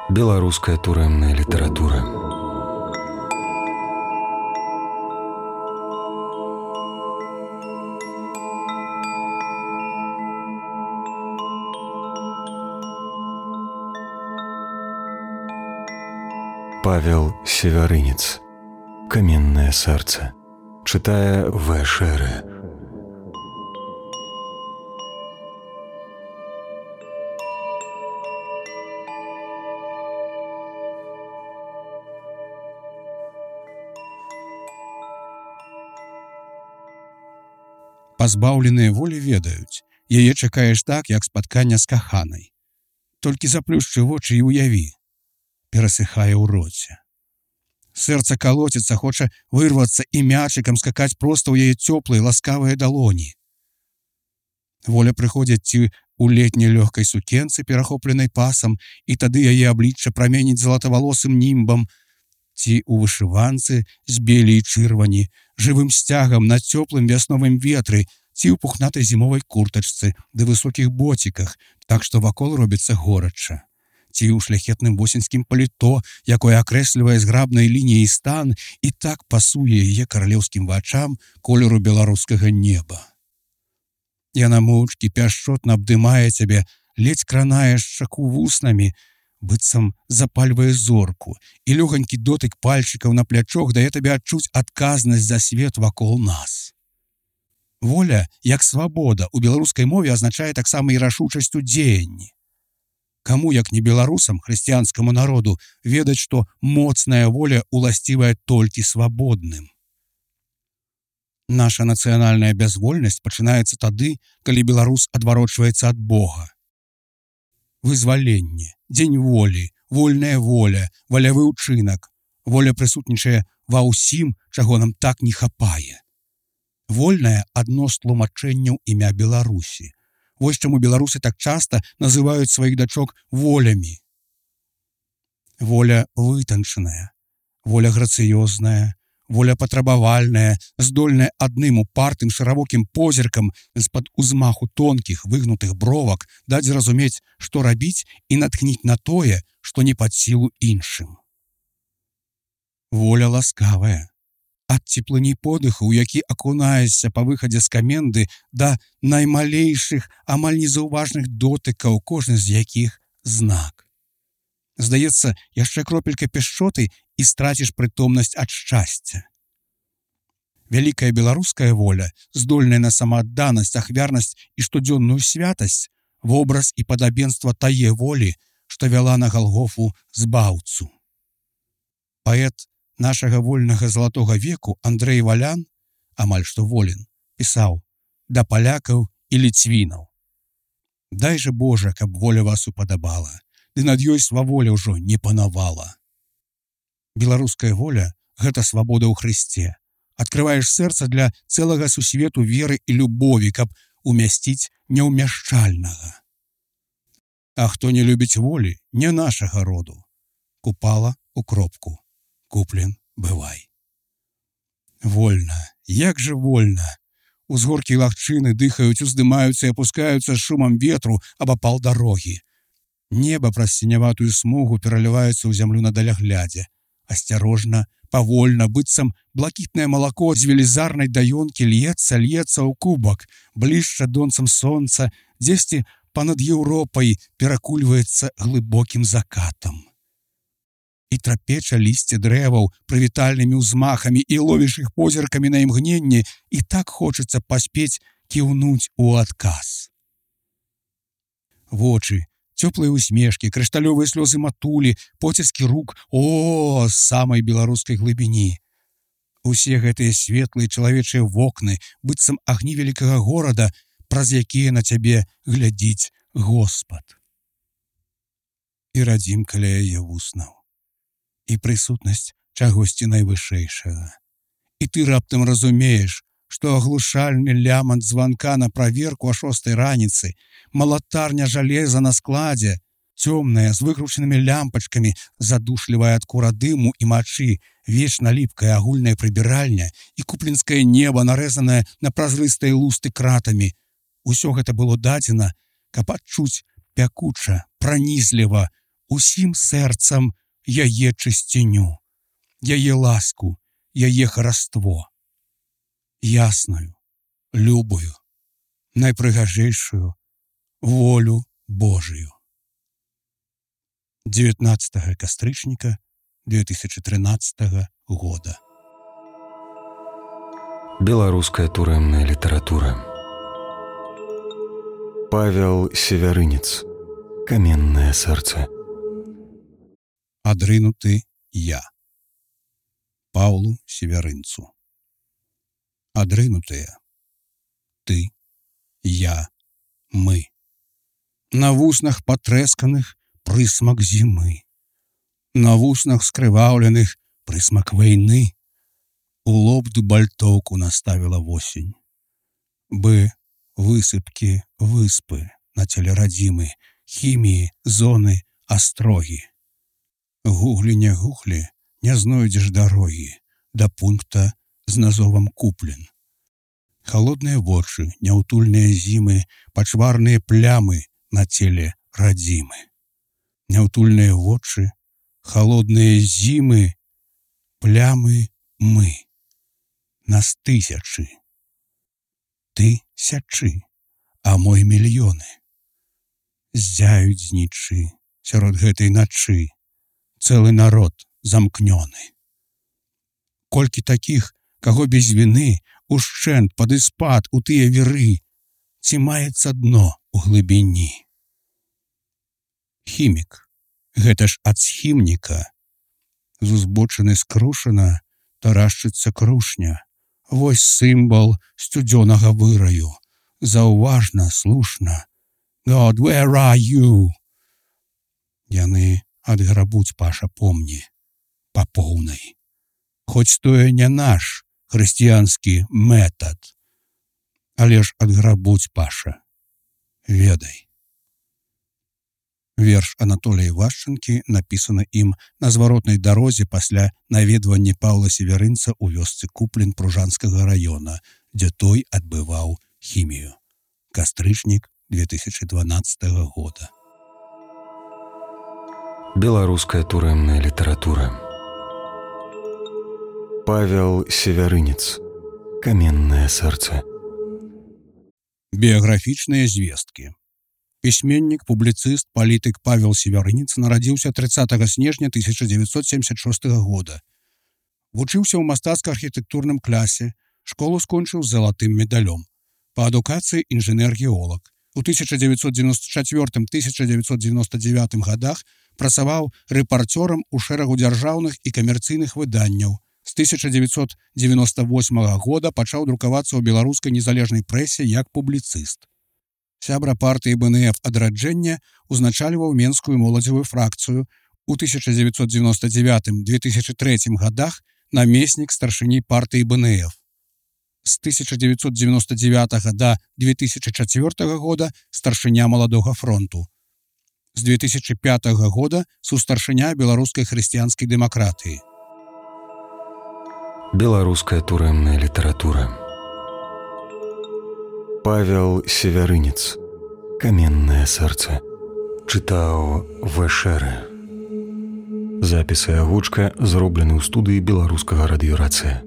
Беларуская турэмная літаратура. Павел Севярынец. «Каменное сердце». Читая В. Шере. Пазбаўленыя волі ведаюць, яе чакаеш так, як спаткання з каханай. Толькі заплюшчы вочы і уяві. Перасыхае ў роце. Сэрца калоціцца, хоча вырвацца і мячыкам скакаць проста ў яе цёплыя, ласкавыя далоні. Воля прыходзіць ці ў летняй лёгкай сукенцы, перахопленай пасам, і тады яе аблічча праменіць залатавалосым німбам, ці ў вышыванцы з белі і чырвані, жывым сцягам на цёплым вясновым ветры, ці ў пухнатай зімовай куртачцы ды высокіх боціках, так што вакол робіцца горача. Ці ў шляхетным восеньскім паліто, якое акрэслівае зграбнай лініяй стан і так пасуе яе каралеўскім вачам колеру беларускага неба. Яна моўчкі пяшчотна абдымае цябе, ледзь кранае шчаку вуснамі, быццам запальвае зорку, і лёгонькі дотык пальчыкаў на плячох дае табе адчуць адказнасць за свет вакол нас. Воля, як свабода, у беларускай мове азначае таксама і рашучасць у дзеянні. Каму, як не беларусам, хрысціянскаму народу, ведаць, што моцная воля уласцівая толькі свабодным. Наша нацыянальная бязвольнасць пачынаецца тады, калі беларус адварочваецца ад Бога. Вызваленне, дзень волі, вольная воля, валявы ўчынак. Воля прысутнічае ва ўсім, чаго нам так не хапае. Вольная адно з тлумачэнняў імя Беларусі. Вось чаму беларусы так часта называюць сваіх дачок волямі. Воля вытанчаная, воля грацыёзная, воля патрабавальная, здольная адным упартым шыравокім позіркам з-пад узмаху тонкіх выгнутых бровак даць зразумець, што рабіць і натхніць на тое, што не пад сілу іншым. Воля ласкавая. Ад цеплыні подыху, у які акунаешся па выхадзе з каменды, да наймалейшых, амаль незаўважных дотыкаў, кожны з якіх знак. Здаецца, яшчэ кропелька пяшчоты і страціш прытомнасць ад шчасця. Вялікая беларуская воля, здольная на самаадданасць, ахвярнасць і штодзённую святасць, вобраз і падабенства тае волі, што вяла на Галгофу збаўцу. Паэт нашага вольнага залатога веку Андрэй Валян, амаль што волен, пісаў да палякаў і ліцвінаў. Дай жа Божа, каб воля вас упадабала, ды над ёй сваволя ўжо не панавала. Беларуская воля — гэта свабода ў Хрысце. Адкрываеш сэрца для цэлага сусвету веры і любові, каб умясціць няўмяшчальнага. А хто не любіць волі, не нашага роду. Купала у кропку. Куплен, бывай. Вольна, як жа вольна. Узгоркі лагчыны дыхаюць, уздымаюцца і апускаюцца з шумам ветру абапал дарогі. Неба праз сіняватую смугу пераліваецца ў зямлю на даляглядзе. Асцярожна, павольна, быццам блакітнае малако з велізарнай даёнкі льецца ў кубак, блішча донцам сонца, дзесьці панад Еўропай перакульваецца глыбокім закатам. І трапеча лісце дрэваў прывітальнымі ўзмахамі і ловіш іх позіркамі на імгненне, і так хочацца паспець кіўнуць у адказ. Вочы, цёплыя усмешкі, крышталёвыя слёзы матулі, поціскі рук, з самай беларускай глыбіні. Усе гэтыя светлыя чалавечыя вокны, быццам агні вялікага горада, праз якія на цябе глядзіць Господ. І радзім каля яе вуснаў. І прысутнасць чагосьці найвышэйшага. І ты раптам разумееш, што аглушальны лямант званка на праверку о 6 раніцы, малатарня жалеза на складзе, цёмная, з выкручанымі лямпачкамі, задушлівая ад кура дыму і мачы, вечна ліпкая агульная прыбіральня і купленскае неба, нарэзанае на празрыстыя лусты кратамі. Усё гэта было дадзена, каб адчуць пякуча, пранізліва, усім сэрцам яе чысціню, яе ласку, яе хараство. Ясную, любую, найпрыгажэйшую волю Божию. 19 кастрычніка 2013 года. Беларуская турэмная літаратура. Павел Севярынец. Каменное сэрца. Адрынуты я. Паўлу Севярынцу. Адрынутыя. Ты, я, мы. На вуснах патрэсканых прысмак зімы. На вуснах скрываўленых прысмак вайны. У лоб дубальтоўку наставіла восень. Бы высыпкі выспы на целе радзімы, хіміі, зоны, астрогі. Гуглі не гуглі, не знойдзеш дарогі да пункта з назовам куплен. Холодныя вочы, няўтульныя зімы, пачварныя плямы на целе радзімы. Няўтульныя вочы, холодныя зімы, плямы мы. Нас тысячы. Ты сячы, а мой мільёны. Ззяюць знічы сярод гэтай начы. Цэлы народ замкнёны. Колькі такіх, каго без віны, ушчэнт пад іспад у тыя віры, ці маецца дно у глыбіні. Хімік, гэта ж ад схімніка. З узбочыны скрушана тарашчыцца крушня. Вось сімвал сцюдзёнага выраю. Заўважна, слушна. God, where are you? Яны адграбуць, Паша, помні, па поўнай. Хоць тое не наш хрысціянскі метад, але ж адграбуць, Паша, ведай. Верш Анатолія Івашчанкі напісаны ім на зваротнай дарозе пасля наведвання Паўла Севярынца ў вёсцы Куплен Пружанскага раёна, дзе той адбываў хімію. Кастрычнік 2012 года. Беларуская турэмная літаратура. Павел Севярынец. Каменное сэрца. Біяграфічныя звесткі. Пісьменнік, публіцыст, палітык Павел Севярынец нарадзіўся 30 снежня 1976 года. Вучыўся ў мастацка-архітэктурным класе, школу скончыў з залатым медалём. Па адукацыі інжынер-геолог. У 1994-1999 годах працаваў рэпарцёрам у шэрагу дзяржаўных і камерцыйных выданняў. З 1998 года пачаў друкавацца ў беларускай незалежнай прэсе як публіцыст. Сябра партыі БНФ «Адраджэнне» узначальваў менскую моладзевую фракцыю. У 1999-2003 годах намеснік старшыні партыі БНФ. З 1999 до 2004 года старшыня Маладога фронту. З 2005 года сустаршыня беларускай хрысціянскай дэмакратыі. Беларуская турэмная літаратура. Павел Севярынец. Каменное сэрца. Чытаў Вэшэрэ. Запісы агучка зроблены ў студыі беларускага радыёрацыя.